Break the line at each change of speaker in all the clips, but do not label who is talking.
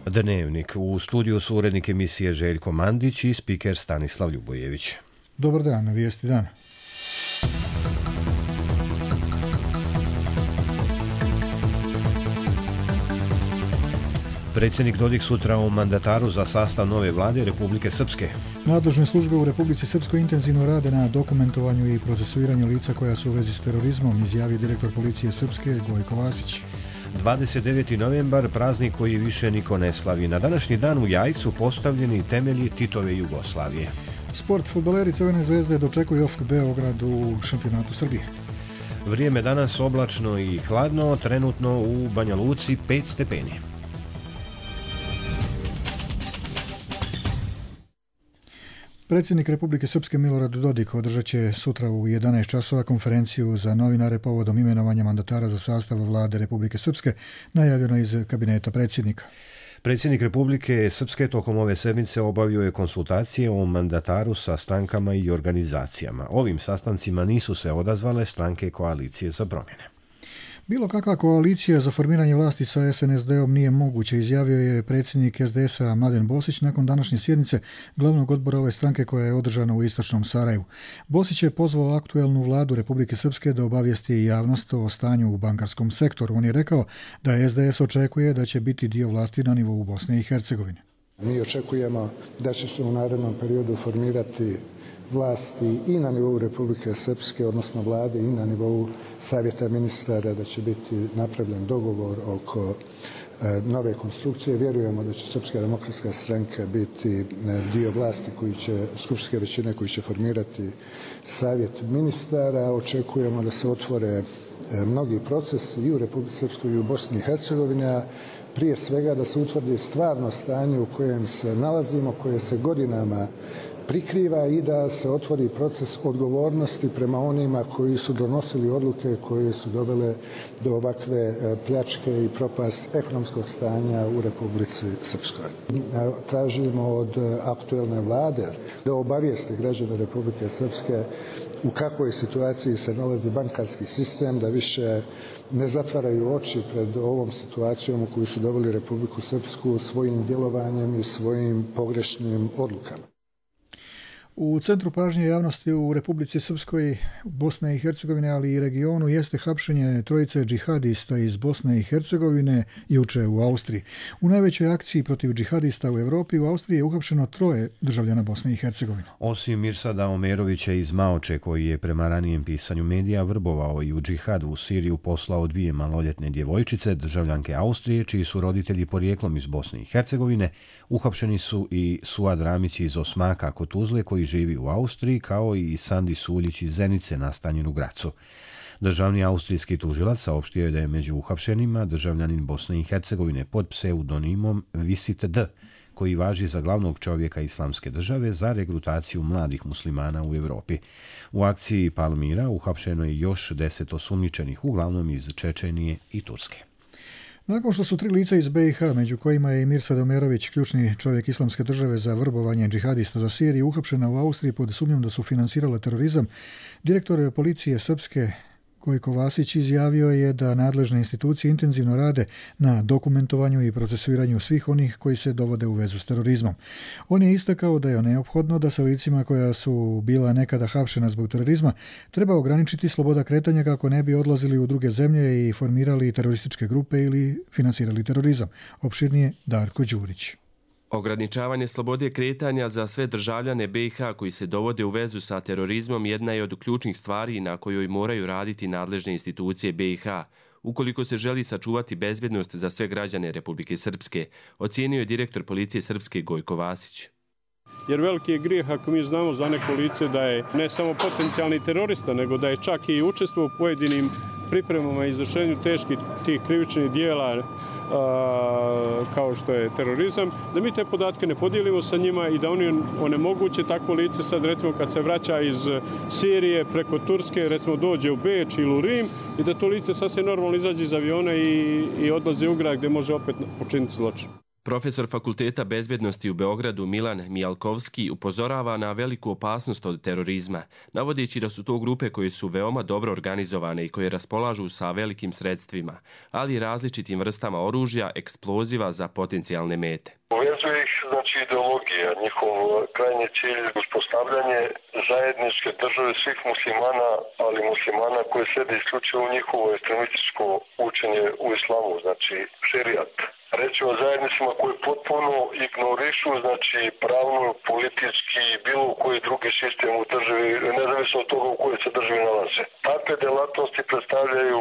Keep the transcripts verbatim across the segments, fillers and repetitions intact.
Dnevnik. U studiju su urednik emisije Željko Mandić i spiker Stanislav Ljubojević.
Dobar dan, na vijesti dana.
Predsjednik Dodik sutra u mandataru za sastav nove vlade Republike Srpske.
Nadležne službe u Republici Srpskoj intenzivno rade na dokumentovanju i procesuiranju lica koja su u vezi s terorizmom, izjavio direktor policije Srpske Gojko Vasić.
dvadeset deveti novembar, praznik koji više niko ne slavi. Na današnji dan u Jajcu postavljeni temelji Titove Jugoslavije.
Sport. Fudbaleri Crvene zvezde dočekuju O F K Beograd u šampionatu Srbije.
Vrijeme danas oblačno i hladno, trenutno u Banja Luci pet stepeni.
Predsjednik Republike Srpske Milorad Dodik održat će sutra u jedanaest časova konferenciju za novinare povodom imenovanja mandatara za sastav vlade Republike Srpske, najavljeno iz kabineta predsjednika.
Predsjednik Republike Srpske tokom ove sedmice obavio je konsultacije o mandataru sa strankama i organizacijama. Ovim sastancima nisu se odazvale stranke Koalicije za promjene.
Bilo kakva koalicija za formiranje vlasti sa S N S D-om nije moguće, izjavio je predsjednik S D S-a Mladen Bosić nakon današnje sjednice glavnog odbora ove stranke koja je održana u istočnom Sarajevu. Bosić je pozvao aktuelnu vladu Republike Srpske da obavijesti javnost o stanju u bankarskom sektoru. On je rekao da S D S očekuje da će biti dio vlasti na nivou Bosne i Hercegovine.
Mi očekujemo da će se u narednom periodu formirati vlasti i na nivou Republike Srpske, odnosno vlade, i na nivou savjeta ministara, da će biti napravljen dogovor oko e, nove konstrukcije. Vjerujemo da će Srpska demokratska stranka biti e, dio vlasti koji će, skupštinske većine koji će formirati savjet ministara. Očekujemo da se otvore e, mnogi procesi i u Republike Srpskoj i u Bosni i Hercegovini, a prije svega da se utvrdi stvarno stanje u kojem se nalazimo, koje se godinama prikriva, i da se otvori proces odgovornosti prema onima koji su donosili odluke koje su dovele do ovakve pljačke i propast ekonomskog stanja u Republici Srpskoj. Tražimo od aktuelne vlade da obavijesti građane Republike Srpske u kakvoj situaciji se nalazi bankarski sistem, da više ne zatvaraju oči pred ovom situacijom u koju su doveli Republiku Srpsku svojim djelovanjem i svojim pogrešnim odlukama.
U centru pažnje javnosti u Republici Srpskoj, Bosne i Hercegovine, ali i regionu, jeste hapšenje trojice džihadista iz Bosne i Hercegovine juče u Austriji. U najvećoj akciji protiv džihadista u Europi u Austriji je uhapšeno troje državljana Bosne i Hercegovine.
Osim Mirsada Omerovića iz Maoče, koji je prema ranijem pisanju medija vrbovao i u džihad u Siriju, poslao dvije maloljetne djevojčice, državljanke Austrije, čiji su roditelji porijeklom iz Bosne i Hercegovine, uhapšeni su i Suad Ramić iz Osmaka kod Tuzle, koji živi u Austriji, kao i Sandi Suljić iz Zenice, nastanjen u Gracu. Državni austrijski tužilac saopštio je da je među uhapšenima državljanin Bosne i Hercegovine pod pseudonimom Visit D, koji važi za glavnog čovjeka Islamske države za regrutaciju mladih muslimana u Europi. U akciji Palmira uhapšeno je još deset osumnjičenih, uglavnom iz Čečenije i Turske.
Nakon što su tri lica iz B i H, među kojima je i Mirsad Omerović, ključni čovjek Islamske države za vrbovanje džihadista za Siriju, uhapšena u Austriji pod sumnjom da su finansirale terorizam, direktor policije Srpske Gojko Vasić izjavio je da nadležne institucije intenzivno rade na dokumentovanju i procesuiranju svih onih koji se dovode u vezu s terorizmom. On je istakao da je neophodno da sa licima koja su bila nekada hapšena zbog terorizma treba ograničiti sloboda kretanja kako ne bi odlazili u druge zemlje i formirali terorističke grupe ili finansirali terorizam. Opširnije Darko Đurić.
Ograničavanje slobode kretanja za sve državljane B i H koji se dovode u vezu sa terorizmom jedna je od ključnih stvari na kojoj moraju raditi nadležne institucije B i H, ukoliko se želi sačuvati bezbjednost za sve građane Republike Srpske, ocijenio je direktor policije Srpske Gojko Vasić.
Jer veliki je grijeh ako mi znamo za neko lice da je ne samo potencijalni terorista, nego da je čak i učestvovao u pojedinim pripremama i izvršenju teških tih krivičnih dijela a, kao što je terorizam, da mi te podatke ne podijelimo sa njima i da oni onemoguće takvo lice sad, recimo kad se vraća iz Sirije preko Turske, recimo dođe u Beč ili u Rim, i da to lice sasvim normalno izađe iz aviona i, i odlazi u grad gdje može opet počiniti zločin.
Profesor Fakulteta bezbjednosti u Beogradu Milan Mijalkovski upozorava na veliku opasnost od terorizma, navodeći da su to grupe koje su veoma dobro organizovane i koje raspolažu sa velikim sredstvima, ali i različitim vrstama oružja, eksploziva za potencijalne mete.
Uvezuje ih znači ideologija, njihov krajnji cilj uspostavljanje zajedničke države svih muslimana, ali muslimana koje sede isključivo u njihovo ekstremističko učenje u islamu, znači šerijat. Reći o zajednicama koje potpuno ignorišu, znači pravno, politički, bilo koji drugi sistem u državi, nezavisno od toga u kojoj se državi nalaze. Takve delatnosti predstavljaju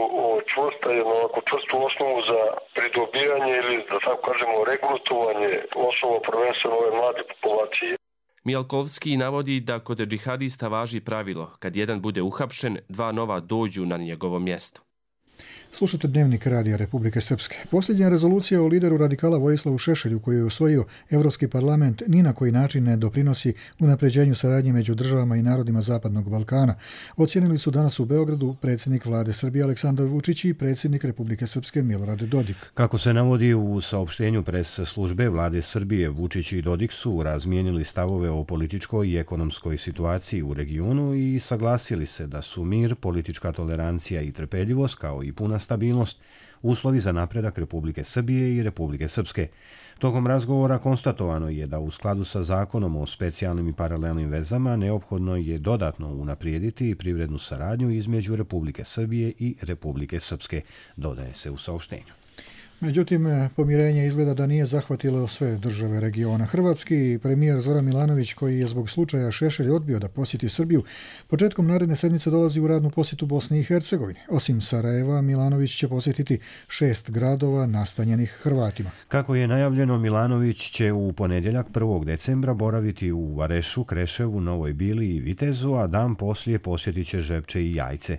čvrsta, jedno ovako čvrstu osnovu za pridobijanje ili, da tako kažemo, regrutovanje osoba prvenstveno ove mlade populacije.
Mijalkovski navodi da kod džihadista važi pravilo, kad jedan bude uhapšen, dva nova dođu na njegovo mjesto.
Slušate Dnevnik Radija Republike Srpske. Posljednja rezolucija o lideru radikala Vojislavu Šešelju koju je usvojio Evropski parlament ni na koji način ne doprinosi unapređenju saradnje među državama i narodima Zapadnog Balkana. Ocijenili su danas u Beogradu predsjednik vlade Srbije Aleksandar Vučić i predsjednik Republike Srpske Milorad Dodik.
Kako se navodi u saopštenju pres službe vlade Srbije, Vučić i Dodik su razmijenili stavove o političkoj i ekonomskoj situaciji u regionu i saglasili se da su mir, politička tolerancija i trpeljivost kao i puna stabilnost uslovi za napredak Republike Srbije i Republike Srpske. Tokom razgovora konstatovano je da u skladu sa zakonom o specijalnim i paralelnim vezama neophodno je dodatno unaprijediti privrednu saradnju između Republike Srbije i Republike Srpske, dodaje se u saopštenju.
Međutim, pomirenje izgleda da nije zahvatilo sve države regiona. Hrvatski premijer Zoran Milanović, koji je zbog slučaja Šešelj odbio da posjeti Srbiju, početkom naredne sedmice dolazi u radnu posjetu Bosni i Hercegovini. Osim Sarajeva, Milanović će posjetiti šest gradova nastanjenih Hrvatima.
Kako je najavljeno, Milanović će u ponedjeljak prvog decembra boraviti u Varešu, Kreševu, Novoj Bili i Vitezu, a dan poslije posjetit će Žepče i Jajce.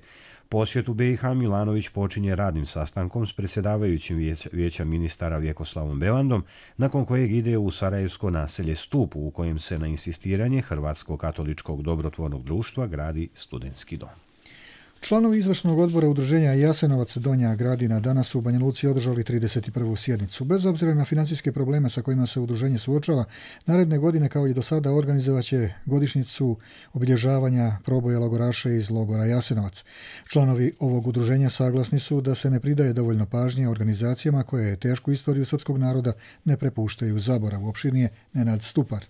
Posjet u be i ha Milanović počinje radnim sastankom s predsjedavajućim vijeća, vijeća ministara Vjekoslavom Bevandom, nakon kojeg ide u sarajevsko naselje Stup, u kojem se na insistiranje Hrvatsko-katoličkog dobrotvornog društva gradi studentski dom.
Članovi izvršnog odbora udruženja Jasenovac Donja Gradina danas su u Banja Luci održali trideset prvu sjednicu. Bez obzira na financijske probleme sa kojima se udruženje suočava, naredne godine kao i do sada organizovaće godišnjicu obilježavanja proboja logoraša iz logora Jasenovac. Članovi ovog udruženja saglasni su da se ne pridaje dovoljno pažnje organizacijama koje tešku istoriju srpskog naroda ne prepuštaju zaboravu. Opširnije Nenad Stupar.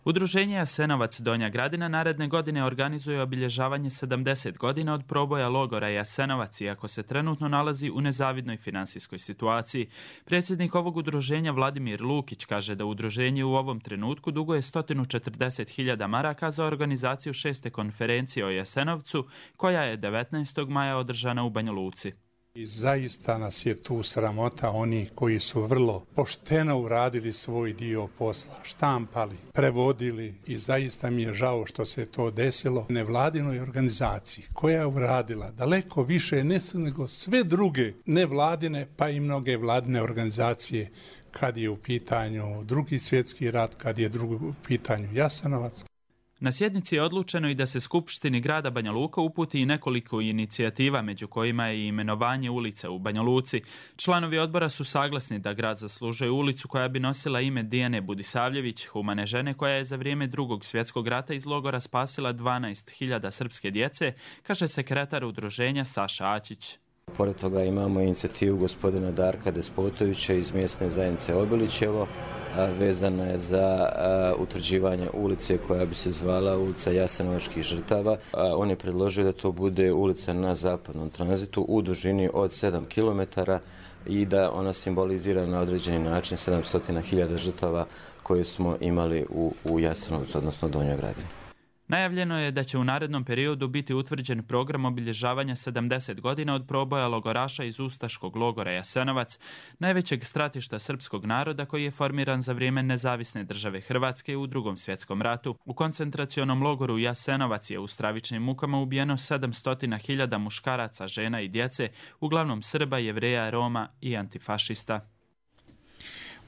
Udruženje Jasenovac Donja Gradina naredne godine organizuje obilježavanje sedamdeset godina od proboja logora Jasenovac, iako se trenutno nalazi u nezavidnoj finansijskoj situaciji. Predsjednik ovog udruženja Vladimir Lukić kaže da udruženje u ovom trenutku duguje sto četrdeset hiljada maraka za organizaciju šeste konferencije o Jasenovcu, koja je devetnaestog maja održana u Banja Luci.
I zaista nas je tu sramota oni koji su vrlo pošteno uradili svoj dio posla, štampali, prevodili i zaista mi je žao što se to desilo nevladinoj organizaciji koja je uradila daleko više nego sve druge nevladine pa i mnoge vladine organizacije kad je u pitanju Drugi svjetski rat, kad je drugi u pitanju Jasenovac.
Na sjednici je odlučeno i da se Skupštini grada Banja Luka uputi i nekoliko inicijativa, među kojima je i imenovanje ulice u Banja Luci. Članovi odbora su saglasni da grad zaslužuje ulicu koja bi nosila ime Dijane Budisavljević, humane žene koja je za vrijeme Drugog svjetskog rata iz logora spasila dvanaest hiljada srpske djece, kaže sekretar udruženja Saša Ačić.
Pored toga imamo inicijativu gospodina Darka Despotovića iz mjesne zajednice Obilićevo, vezana je za utvrđivanje ulice koja bi se zvala ulica Jasenovačkih žrtava. On je predložio da to bude ulica na zapadnom tranzitu u dužini od sedam kilometara i da ona simbolizira na određeni način sedamsto hiljada žrtava koje smo imali u, u Jasenovcu, odnosno Donjoj Gradini.
Najavljeno je da će u narednom periodu biti utvrđen program obilježavanja sedamdeset godina od proboja logoraša iz ustaškog logora Jasenovac, najvećeg stratišta srpskog naroda koji je formiran za vrijeme nezavisne države Hrvatske u Drugom svjetskom ratu. U koncentracionom logoru Jasenovac je u stravičnim mukama ubijeno sedamsto hiljada muškaraca, žena i djece, uglavnom Srba, Jevreja, Roma i antifašista.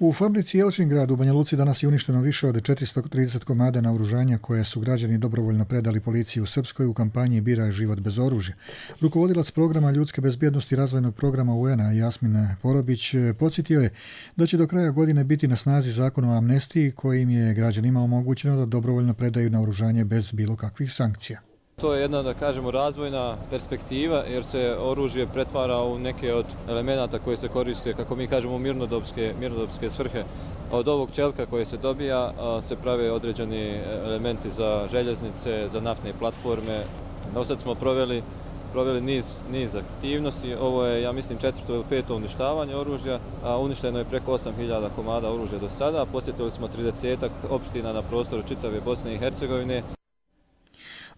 U fabrici Jelčingrad u Banja Luci danas je uništeno više od četiristo trideset komada naoružanja koje su građani dobrovoljno predali policiji u Srpskoj u kampanji Biraj život bez oružja. Rukovodilac programa ljudske bezbjednosti razvojnog programa U N-a Jasmin Porobić podsjetio je da će do kraja godine biti na snazi zakon o amnestiji kojim je građanima omogućeno da dobrovoljno predaju naoružanje bez bilo kakvih sankcija.
To je jedna, da kažemo, razvojna perspektiva jer se oružje pretvara u neke od elemenata koje se koriste, kako mi kažemo, mirnodopske, mirnodopske svrhe. Od ovog čelka koje se dobija se prave određeni elementi za željeznice, za naftne platforme. Do sad smo proveli, proveli niz, niz aktivnosti. Ovo je, ja mislim, četvrto ili peto uništavanje oružja, a uništeno je preko osam hiljada komada oružja do sada. Posjetili smo tridesetak opština na prostoru čitave Bosne i Hercegovine.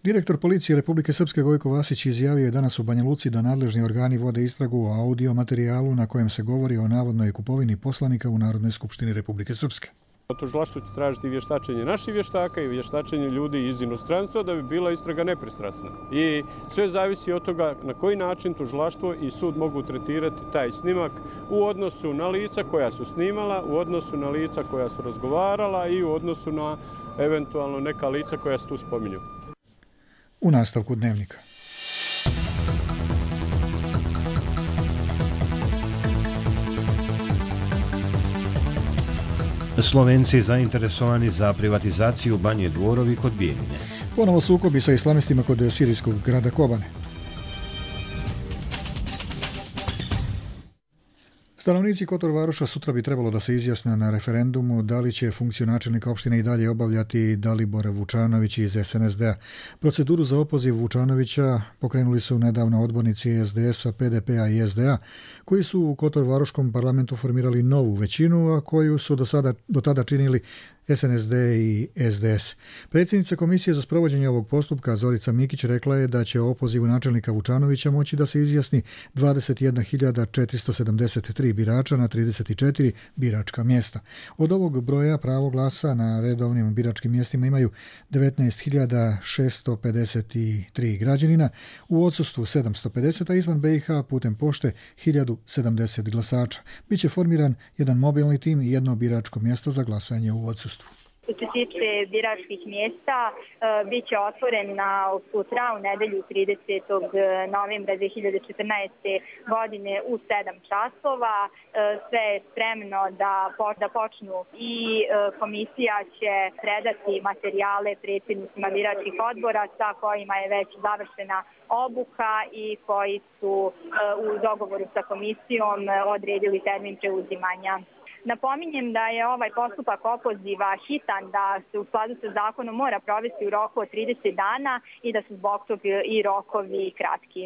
Direktor policije Republike Srpske Gojko Vasić izjavio je danas u Banja Luci da nadležni organi vode istragu o audio materijalu na kojem se govori o navodnoj kupovini poslanika u Narodnoj skupštini Republike Srpske.
Tužilaštvo će tražiti vještačenje naših vještaka i vještačenje ljudi iz inostranstva da bi bila istraga nepristrasna. I sve zavisi od toga na koji način tužilaštvo i sud mogu tretirati taj snimak u odnosu na lica koja su snimala, u odnosu na lica koja su razgovarala i u odnosu na eventualno neka lica koja se tu spominju.
U nastavku dnevnika.
Slovenci zainteresovani za privatizaciju Banje Dvorovi kod Bijeljine.
Ponovo sukobi sa islamistima kod sirijskog grada Kobane. Stanovnici Kotor Varoša sutra bi trebalo da se izjasne na referendumu da li će funkciju načelnika opštine i dalje obavljati Dalibor Vučanović iz S N S D-a. Proceduru za opoziv Vučanovića pokrenuli su nedavno odbornici S D S-a, P D P-a i S D A, koji su u Kotor Varoškom parlamentu formirali novu većinu, a koju su do, sada, do tada činili S N S D i S D S. Predsjednica Komisije za sprovođenje ovog postupka Zorica Mikić rekla je da će o opozivu načelnika Vučanovića moći da se izjasni dvadeset jedna hiljada četiristo sedamdeset tri birača na trideset četiri biračka mjesta. Od ovog broja pravo glasa na redovnim biračkim mjestima imaju devetnaest hiljada šesto pedeset tri građanina, u odsustvu sedamsto pedeset, a izvan B i H putem pošte hiljadu sedamdeset glasača. Biće formiran jedan mobilni tim i jedno biračko mjesto za glasanje u odsustvu.
Što se tiče biračkih mjesta, bit će otvoren na sutra u nedelju tridesetog novembra dve hiljade četrnaeste. godine u sedam časova. Sve je spremno da, da počnu i komisija će predati materijale predsjednicima biračkih odbora sa kojima je već završena obuka i koji su u dogovoru sa komisijom odredili termin preuzimanja. Napominjem da je ovaj postupak opoziva hitan, da se u skladu sa zakonom mora provesti u roku od trideset dana i da su zbog toga i rokovi kratki.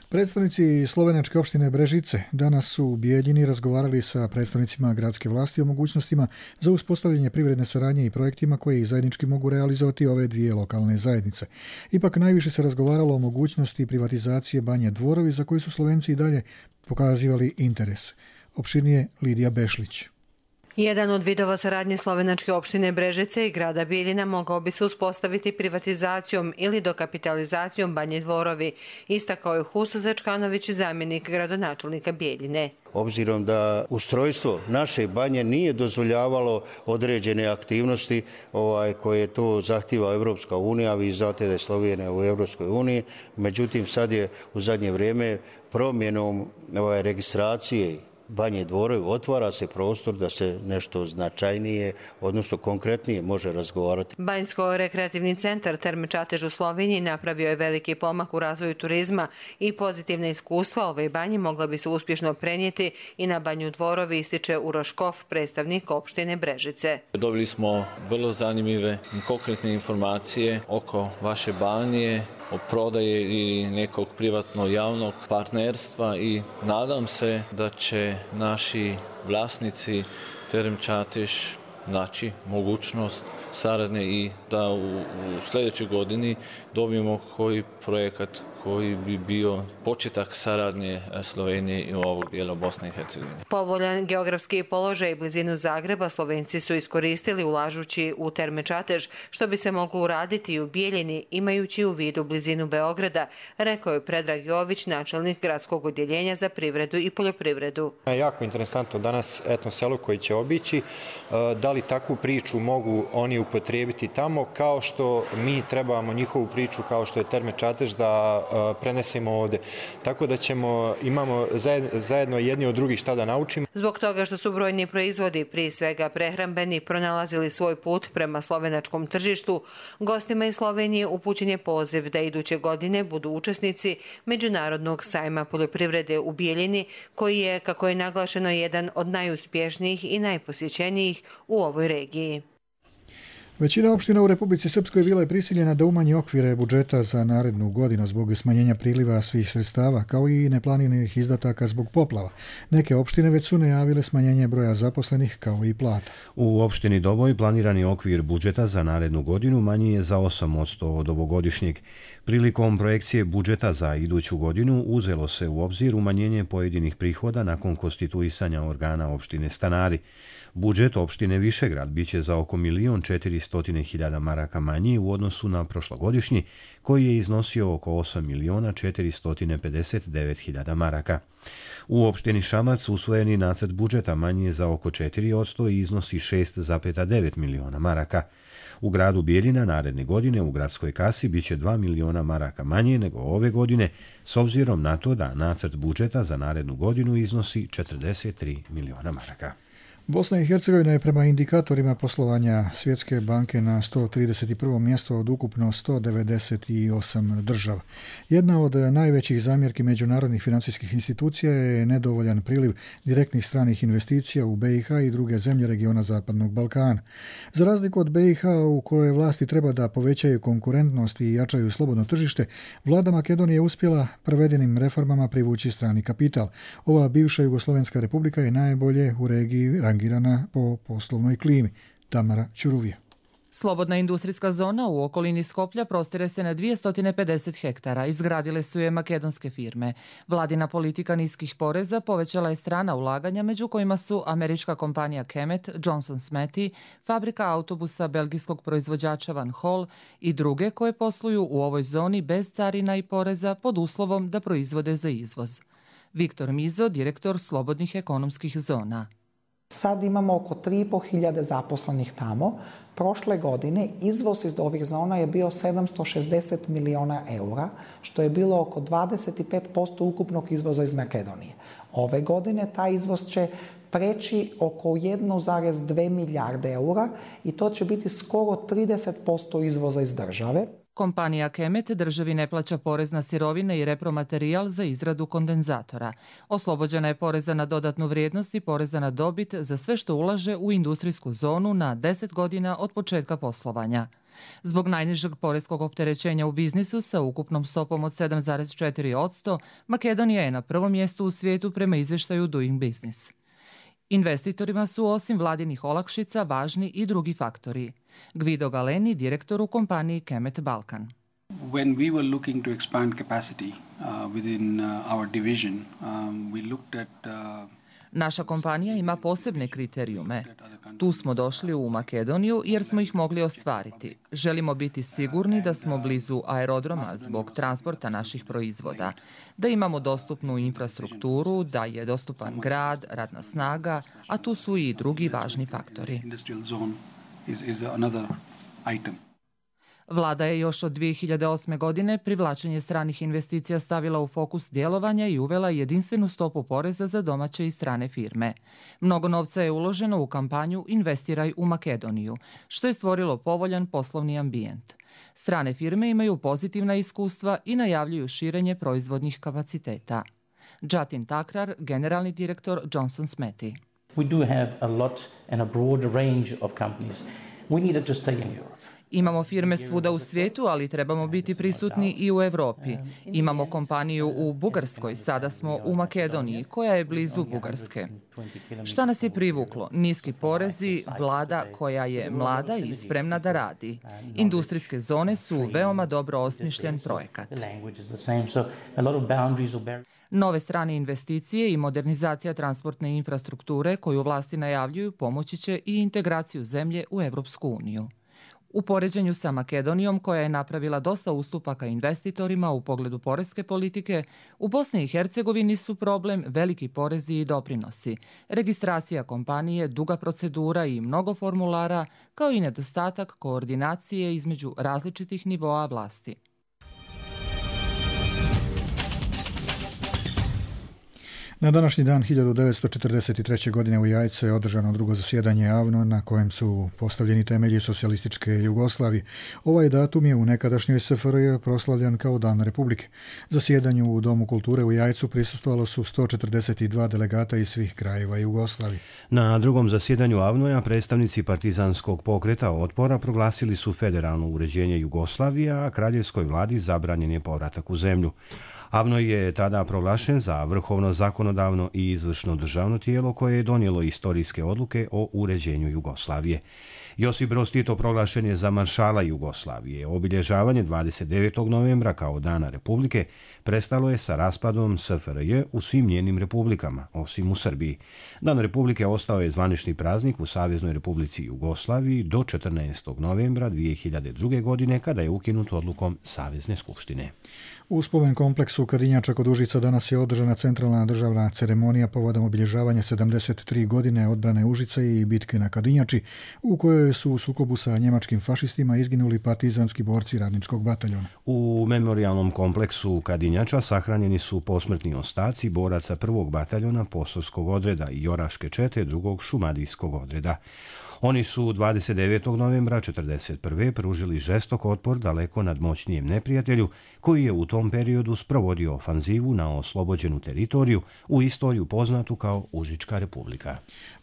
Predstavnici slovenačke opštine Brežice danas su u Bijeljini razgovarali sa predstavnicima gradske vlasti o mogućnostima za uspostavljanje privredne saradnje i projektima koji zajednički mogu realizovati ove dvije lokalne zajednice. Ipak najviše se razgovaralo o mogućnosti privatizacije Banje Dvorovi za koju su Slovenci i dalje pokazivali interes. Opširnije Lidija Bešlić.
Jedan od vidova saradnje slovenačke opštine Brežice i grada Bijeljina mogao bi se uspostaviti privatizacijom ili dokapitalizacijom Banje Dvorovi, istakao je Huso Zečkanović, zamjenik gradonačelnika Bijeljine.
Obzirom da ustrojstvo naše banje nije dozvoljavalo određene aktivnosti ovaj, koje to zahtjeva Evropska unija, vi znate da je Slovenija u Evropskoj uniji, međutim sad je u zadnje vrijeme promjenom ovaj, registracije Banje Dvorovi otvara se prostor da se nešto značajnije, odnosno konkretnije može razgovarati.
Banjsko-rekreativni centar Terme Čatež u Sloveniji napravio je veliki pomak u razvoju turizma i pozitivne iskustva ove banje mogla bi se uspješno prenijeti i na Banju Dvorovi, ističe Uroš Kof, predstavnik opštine Brežice.
Dobili smo vrlo zanimljive konkretne informacije oko vaše banje, o prodaji ili nekog privatno-javnog partnerstva i nadam se da će naši vlasnici Terem Čatež naći mogućnost saradnje i da u, u sljedećoj godini dobijemo koji projekat koji bi bio početak saradnje Slovenije i ovog dijela Bosne i Hercegovine.
Povoljan geografski položaj i blizinu Zagreba Slovenci su iskoristili ulažući u Terme Čatež, što bi se moglo uraditi i u Bijeljini imajući u vidu blizinu Beograda, rekao je Predrag Jović, načelnik gradskog odjeljenja za privredu i poljoprivredu.
Jako interesantno danas etno selo koji će obići, da li takvu priču mogu oni upotrijebiti tamo, kao što mi trebamo njihovu priču kao što je Terme Čatež da prenesemo ovde. Tako da ćemo, imamo zajedno jedni od drugih šta da naučimo.
Zbog toga što su brojni proizvodi, prije svega prehrambeni, pronalazili svoj put prema slovenačkom tržištu, gostima iz Slovenije upućen je poziv da iduće godine budu učesnici Međunarodnog sajma poljoprivrede u Bijeljini, koji je, kako je naglašeno, jedan od najuspješnijih i najposjećenijih u ovoj regiji.
Većina opština u Republici Srpskoj bila je prisiljena da umanji okvire budžeta za narednu godinu zbog smanjenja priliva svih sredstava, kao i neplaniranih izdataka zbog poplava. Neke opštine već su najavile smanjenje broja zaposlenih, kao i plata.
U opštini Doboj planirani okvir budžeta za narednu godinu manji je za osam posto od ovogodišnjeg. Prilikom projekcije budžeta za iduću godinu uzelo se u obzir umanjenje pojedinih prihoda nakon konstituisanja organa opštine Stanari. Budžet opštine Višegrad biće za oko milion četiristo hiljada maraka manji u odnosu na prošlogodišnji, koji je iznosio oko osam miliona četiristo pedeset devet hiljada maraka. U opštini Šamac usvojeni nacrt budžeta manji je za oko četiri posto i iznosi šest zarez devet miliona maraka. U gradu Bijeljina naredne godine u gradskoj kasi biće dva miliona maraka manje nego ove godine, s obzirom na to da nacrt budžeta za narednu godinu iznosi četrdeset tri miliona maraka.
Bosna i Hercegovina je prema indikatorima poslovanja Svjetske banke na sto trideset prvo mjesto od ukupno sto devedeset osam država. Jedna od najvećih zamjerki međunarodnih financijskih institucija je nedovoljan priliv direktnih stranih investicija u B i H i druge zemlje regiona Zapadnog Balkana. Za razliku od B i H u kojoj vlasti treba da povećaju konkurentnost i jačaju slobodno tržište, vlada Makedonije je uspjela provedenim reformama privući strani kapital. Ova bivša Jugoslovenska republika je najbolje u regiji rangirana po poslovnoj klimi. Tamara Ćuruvija.
Slobodna industrijska zona u okolini Skoplja prostire se na dvjesto pedeset hektara. Izgradile su je makedonske firme. Vladina politika niskih poreza povećala je strana ulaganja, među kojima su američka kompanija Kemet, Johnson Smethy, fabrika autobusa belgijskog proizvođača Van Hol i druge koje posluju u ovoj zoni bez carina i poreza pod uslovom da proizvode za izvoz. Viktor Mizo, direktor slobodnih ekonomskih zona.
Sad imamo oko tri i po hiljade zaposlenih tamo. Prošle godine izvoz iz ovih zona je bio sedamsto šezdeset miliona eura, što je bilo oko dvadeset pet posto ukupnog izvoza iz Makedonije. Ove godine taj izvoz će preći oko jedan zarez dvije milijarde eura i to će biti skoro trideset posto izvoza iz države.
Kompanija Kemet državi ne plaća porez na sirovine i repromaterijal za izradu kondenzatora. Oslobođena je poreza na dodatnu vrijednost i poreza na dobit za sve što ulaže u industrijsku zonu na deset godina od početka poslovanja. Zbog najnižeg poreskog opterećenja u biznisu sa ukupnom stopom od sedam zarez četiri posto, Makedonija je na prvom mjestu u svijetu prema izvještaju Doing Business. Investitorima su osim vladinih olakšica važni i drugi faktori. Gvido Galeni, direktor u kompaniji Kemet Balkan.
When we were looking to expand capacity uh, within uh, our division, um, we looked at uh,
Naša kompanija ima posebne kriterijume. Tu smo došli u Makedoniju jer smo ih mogli ostvariti. Želimo biti sigurni da smo blizu aerodroma zbog transporta naših proizvoda, da imamo dostupnu infrastrukturu, da je dostupan grad, radna snaga, a tu su i drugi važni faktori. Vlada je još od dvije hiljade osme. godine privlačenje stranih investicija stavila u fokus djelovanja i uvela jedinstvenu stopu poreza za domaće i strane firme. Mnogo novca je uloženo u kampanju Investiraj u Makedoniju, što je stvorilo povoljan poslovni ambijent. Strane firme imaju pozitivna iskustva i najavljuju širenje proizvodnih kapaciteta. Jatin Takrar, generalni direktor Johnson Smethy.
We do have a lot and a broad range of companies. We needed to stay in Europe.
Imamo firme svuda u svijetu, ali trebamo biti prisutni i u Europi. Imamo kompaniju u Bugarskoj, sada smo u Makedoniji, koja je blizu Bugarske. Šta nas je privuklo? Niski porezi, vlada koja je mlada i spremna da radi. Industrijske zone su veoma dobro osmišljen projekat. Nove strane investicije i modernizacija transportne infrastrukture koju vlasti najavljuju pomoći će i integraciju zemlje u Evropsku uniju. U poređenju sa Makedonijom, koja je napravila dosta ustupaka investitorima u pogledu poreske politike, u Bosni i Hercegovini su problem veliki porezi i doprinosi, registracija kompanije, duga procedura i mnogo formulara, kao i nedostatak koordinacije između različitih nivoa vlasti.
Na današnji dan hiljadu devetsto četrdeset treće. godine u Jajcu je održano drugo zasjedanje A V N O na kojem su postavljeni temelji socijalističke Jugoslavije. Ovaj datum je u nekadašnjoj S F R J proslavljan kao Dan Republike. Zasjedanju u Domu kulture u Jajcu prisustvovalo su sto četrdeset dva delegata iz svih krajeva Jugoslavije.
Na drugom zasjedanju A V N O-a predstavnici partizanskog pokreta otpora proglasili su federalno uređenje Jugoslavije, a kraljevskoj vladi zabranjen je povratak u zemlju. A V N O je tada proglašen za vrhovno zakonodavno i izvršno državno tijelo koje je donijelo istorijske odluke o uređenju Jugoslavije. Josip Broz Tito proglašen je za maršala Jugoslavije. Obilježavanje dvadeset devetog novembra kao Dana Republike prestalo je sa raspadom S F R J u svim njenim republikama, osim u Srbiji. Dan Republike ostao je zvanični praznik u Saveznoj Republici Jugoslaviji do četrnaestog novembra dvije hiljade druge. godine kada je ukinut odlukom Savezne skupštine.
U spomen kompleksu Kadinjača kod Užica danas je održana centralna državna ceremonija povodom obilježavanja sedamdeset tri godine odbrane Užica i bitke na Kadinjači, u kojoj su u sukobu sa njemačkim fašistima izginuli partizanski borci radničkog bataljona.
U memorijalnom kompleksu Kadinjača sahranjeni su posmrtni ostaci boraca prvog bataljona Posavskog odreda i Joraške čete drugog šumadijskog odreda. Oni su dvadeset devetog novembra četrdeset prve. pružili žestok otpor daleko nadmoćnijem neprijatelju koji je u tom periodu sprovodio ofanzivu na oslobođenu teritoriju u istoriju poznatu kao Užička republika.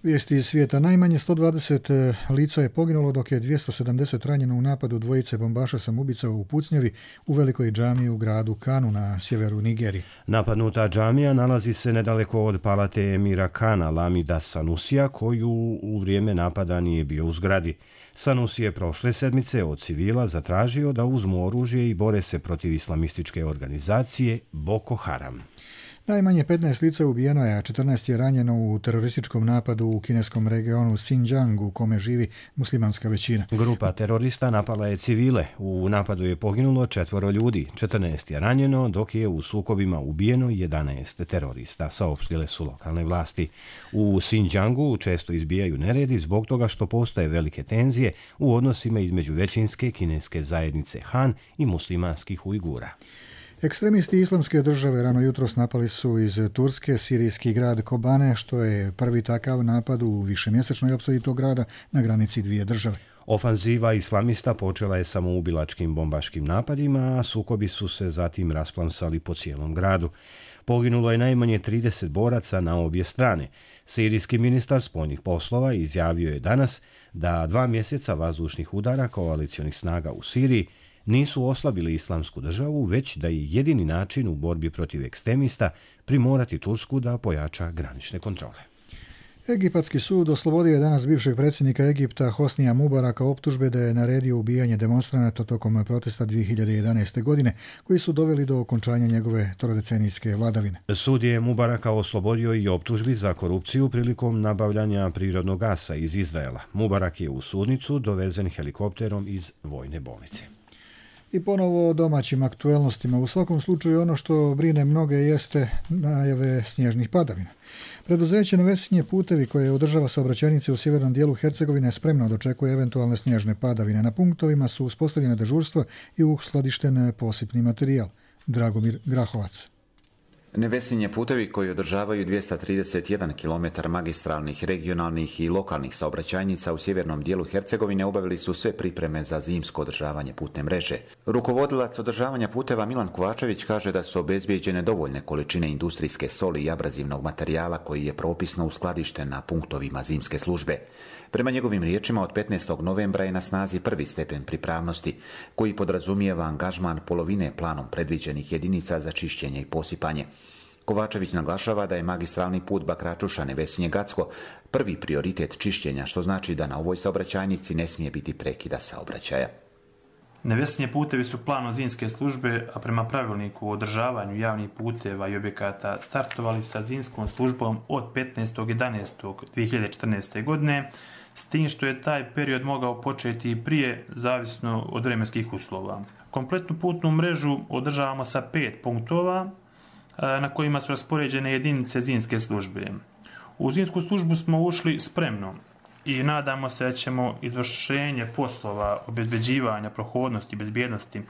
Vijesti iz svijeta. Najmanje sto dvadeset lica je poginulo dok je dvjesto sedamdeset ranjeno u napadu dvojice bombaša samoubica u pucnjavi u velikoj džamiji u gradu Kanu na sjeveru Nigerije.
Napadnuta džamija nalazi se nedaleko od palate emira Kana Lamida Sanusija, koju u vrijeme napada nije bio u zgradi. Sanusi je prošle sedmice od civila zatražio da uzmu oružje i bore se protiv islamističke organizacije Boko Haram.
Najmanje petnaest lica ubijeno je, a četrnaest je ranjeno u terorističkom napadu u kineskom regionu Xinjiang u kome živi muslimanska većina.
Grupa terorista napala je civile. U napadu je poginulo četvoro ljudi, četrnaest je ranjeno, dok je u sukobima ubijeno jedanaest terorista, saopštile su lokalne vlasti. U Xinjiangu često izbijaju neredi zbog toga što postoje velike tenzije u odnosima između većinske kineske zajednice Han i muslimanskih Ujgura.
Ekstremisti islamske države rano jutros napali su iz Turske sirijski grad Kobane, što je prvi takav napad u višemjesečnoj opsadi tog grada na granici dvije države.
Ofanziva islamista počela je samoubilačkim bombaškim napadima, a sukobi su se zatim rasplamsali po cijelom gradu. Poginulo je najmanje trideset boraca na obje strane. Sirijski ministar spoljnih poslova izjavio je danas da dva mjeseca vazdušnih udara koalicionih snaga u Siriji nisu oslabili islamsku državu, već da je jedini način u borbi protiv ekstremista primorati Tursku da pojača granične kontrole.
Egipatski sud oslobodio je danas bivšeg predsjednika Egipta Hosnija Mubaraka optužbe da je naredio ubijanje demonstranata tokom protesta dvije hiljade jedanaeste. godine, koji su doveli do okončanja njegove trodecenijske vladavine.
Sud je Mubaraka oslobodio i optužbi za korupciju prilikom nabavljanja prirodnog gasa iz Izraela. Mubarak je u sudnicu dovezen helikopterom iz vojne bolnice.
I ponovo o domaćim aktuelnostima. U svakom slučaju ono što brine mnoge jeste najave snježnih padavina. Preduzeće Nevesinje putevi koje održava saobraćajnice u sjevernom dijelu Hercegovine spremno dočekuje eventualne snježne padavine. Na punktovima su uspostavljene dežurstva i uskladišten posipni materijal. Dragomir Grahovac.
Nevesinje putevi koji održavaju dvjesto trideset jedan kilometar magistralnih, regionalnih i lokalnih saobraćajnica u sjevernom dijelu Hercegovine obavili su sve pripreme za zimsko održavanje putne mreže. Rukovodilac održavanja puteva Milan Kovačević kaže da su obezbijeđene dovoljne količine industrijske soli i abrazivnog materijala koji je propisno uskladišten na punktovima zimske službe. Prema njegovim riječima, od petnaestog novembra je na snazi prvi stepen pripravnosti, koji podrazumijeva angažman polovine planom predviđenih jedinica za čišćenje i posipanje. Kovačević naglašava da je magistralni put Bakračuša-Nevesinje-Gacko prvi prioritet čišćenja, što znači da na ovoj saobraćajnici ne smije biti prekida saobraćaja.
Nevesinje putevi su planom zimske službe, a prema pravilniku o održavanju javnih puteva i objekata startovali sa zimskom službom od petnaestog jedanaestog dvije hiljade četrnaeste. godine, s tim što je taj period mogao početi i prije, zavisno od vremenskih uslova. Kompletnu putnu mrežu održavamo sa pet punktova na kojima su raspoređene jedinice zimske službe. U zimsku službu smo ušli spremno i nadamo se da ćemo izvršenje poslova obezbeđivanja prohodnosti i bezbjednosti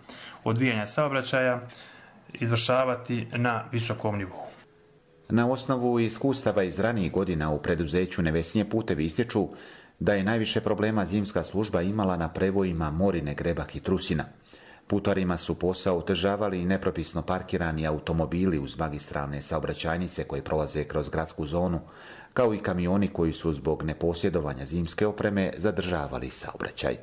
odvijanja saobraćaja izvršavati na visokom nivou.
Na osnovu iskustava iz ranijih godina u preduzeću Nevesinje putevi ističu da je najviše problema zimska služba imala na prevojima Morine, Grebak i Trusina. Putarima su posao otežavali i nepropisno parkirani automobili uz magistralne saobraćajnice koje prolaze kroz gradsku zonu, kao i kamioni koji su zbog neposjedovanja zimske opreme zadržavali saobraćaj.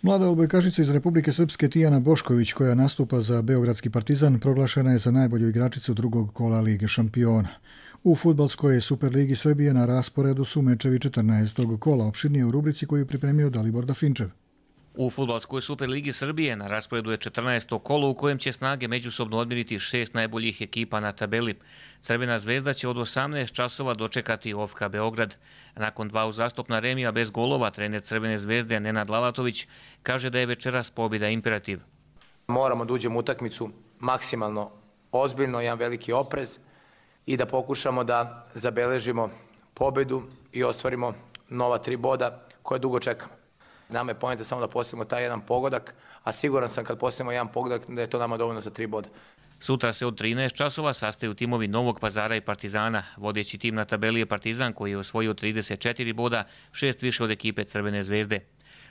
Mlada odbojkašica iz Republike Srpske Tijana Bošković, koja nastupa za Beogradski Partizan, proglašena je za najbolju igračicu drugog kola Lige šampiona. U fudbalskoj Superligi Srbije na rasporedu su mečevi četrnaestog kola, opširnije u rubrici koju je pripremio Dalibor Dafinčev.
U fudbalskoj Superligi Srbije na rasporedu je četrnaesto kolo u kojem će snage međusobno odmiriti šest najboljih ekipa na tabeli. Crvena zvezda će od osamnaest časova dočekati O F K Beograd. Nakon dva uzastopna remija bez golova, trener Crvene zvezde Nenad Lalatović kaže da je večeras pobjeda imperativ.
Moramo da uđemo u utakmicu maksimalno ozbiljno, jedan veliki oprez i da pokušamo da zabeležimo pobjedu i ostvarimo nova tri boda koje dugo čekamo. Nama je poenta samo da postavimo taj jedan pogodak, a siguran sam kad postavimo jedan pogodak da je to nama dovoljno za tri boda.
Sutra se od trinaest časova sastaju timovi Novog Pazara i Partizana. Vodeći tim na tabeli je Partizan koji je osvojio trideset četiri boda, šest više od ekipe Crvene zvezde.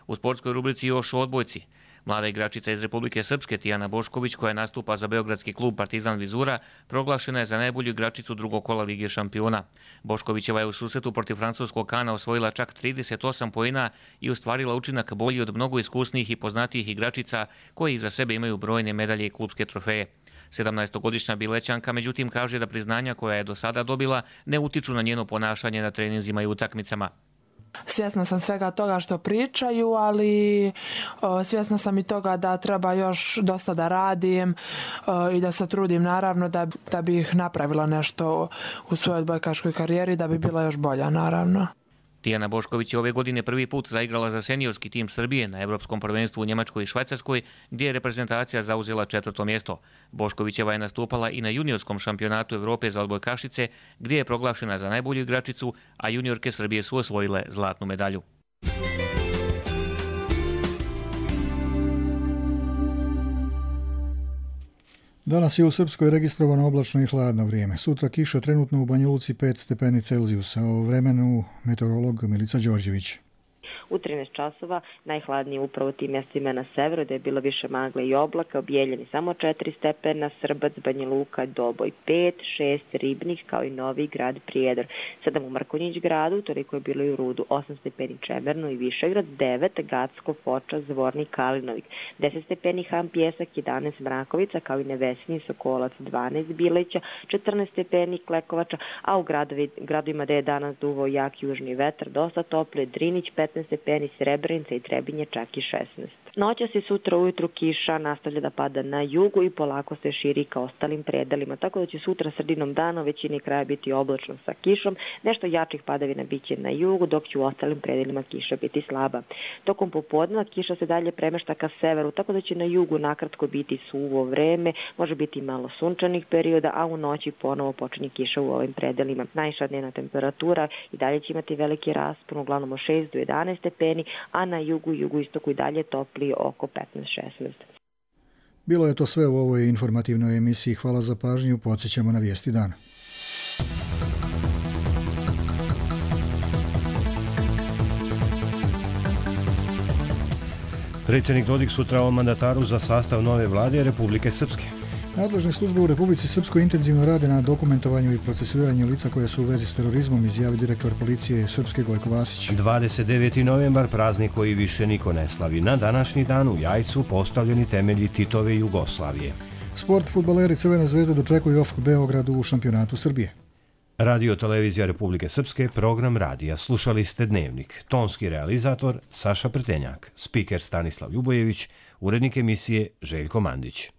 U sportskoj rubrici još o odbojci. Mlada igračica iz Republike Srpske Tijana Bošković, koja nastupa za beogradski klub Partizan Vizura, proglašena je za najbolju igračicu drugog kola Lige šampiona. Boškovićeva je u susretu protiv francuskog Kana osvojila čak trideset osam poena i ostvarila učinak bolji od mnogo iskusnijih i poznatijih igračica koji iza sebe imaju brojne medalje i klubske trofeje. sedamnaestogodišnja Bilećanka međutim kaže da priznanja koja je do sada dobila ne utiču na njeno ponašanje na treninzima i utakmicama.
Svjesna sam svega toga što pričaju, ali o, svjesna sam i toga da treba još dosta da radim o, i da se trudim naravno da, da bih napravila nešto u svojoj odbojkaškoj karijeri, da bi bila još bolja naravno.
Tijana Bošković je ove godine prvi put zaigrala za seniorski tim Srbije na Evropskom prvenstvu u Njemačkoj i Švajcarskoj, gdje je reprezentacija zauzela četvrto mjesto. Boškovićeva je nastupala i na juniorskom šampionatu Evrope za odbojkašice, gdje je proglašena za najbolju igračicu, a juniorke Srbije su osvojile zlatnu medalju.
Danas je u Srpskoj registrovano oblačno i hladno vrijeme. Sutra kiša, trenutno u Banja Luci pet stepeni Celzijusa. O vremenu meteorolog Milica Đorđević.
U trinaest časova najhladnije upravo tim mjestima na severu, da je bilo više magle i oblaka, Bijeljini samo četiri stepena, Srbac, Banja Luka, Doboj pet, šest Ribnik, kao i Novi Grad, Prijedor, sedam u Mrkonjić gradu, toliko je bilo i u Rudu, osam stepeni Čemerno i Višegrad, devet Gacko, Foča, Zvornik, Kalinovik, deset stepeni Han Pjesak, jedanaest Mrakovica, kao i Nevesinje, Sokolac, dvanaest Bileća, četrnaest stepeni Klekovača, a u gradovi, gradovima da je danas duvao jak južni vetar, dosta tople, Drinić petnaest stepeni, Srebrenica i Trebinje čak i šesnaest. Noćas i sutra ujutru kiša nastavlja da pada na jugu i polako se širi ka ostalim predelima, tako da će sutra sredinom dana u većini kraja biti oblačno sa kišom, nešto jačih padavina biće na jugu, dok će u ostalim predelima kiša biti slaba. Tokom popodneva kiša se dalje premešta ka severu, tako da će na jugu nakratko biti suvo vreme, može biti malo sunčanih perioda, a u noći ponovo počinje kiša u ovim predelima. Najviša dnevna temperatura i dalje će imati veliki raspon, uglavnom od šest do jedanaest stepeni, a na jugu i jugoistoku i dalje toplije oko petnaest šesnaest.
Bilo je to sve u ovoj informativnoj emisiji. Hvala za pažnju. Podsjećamo na vijesti dana.
Predsjednik Dodik sutra o mandataru za sastav nove vlade Republike Srpske.
Nadležne službe u Republici Srpskoj intenzivno rade na dokumentovanju i procesuiranju lica koje su u vezi s terorizmom, izjavi direktor policije Srpske Gojko Vasić.
dvadeset deveti novembar, praznik koji više niko ne slavi. Na današnji dan u Jajcu postavljeni temelji Titove Jugoslavije.
Sport, fudbaleri Crvene zvezde dočekuju O F K Beogradu u šampionatu Srbije.
Radio Televizija Republike Srpske, program radija. Slušali ste Dnevnik. Tonski realizator Saša Prtenjak, spiker Stanislav Ljubojević, urednik emisije Željko Mandić.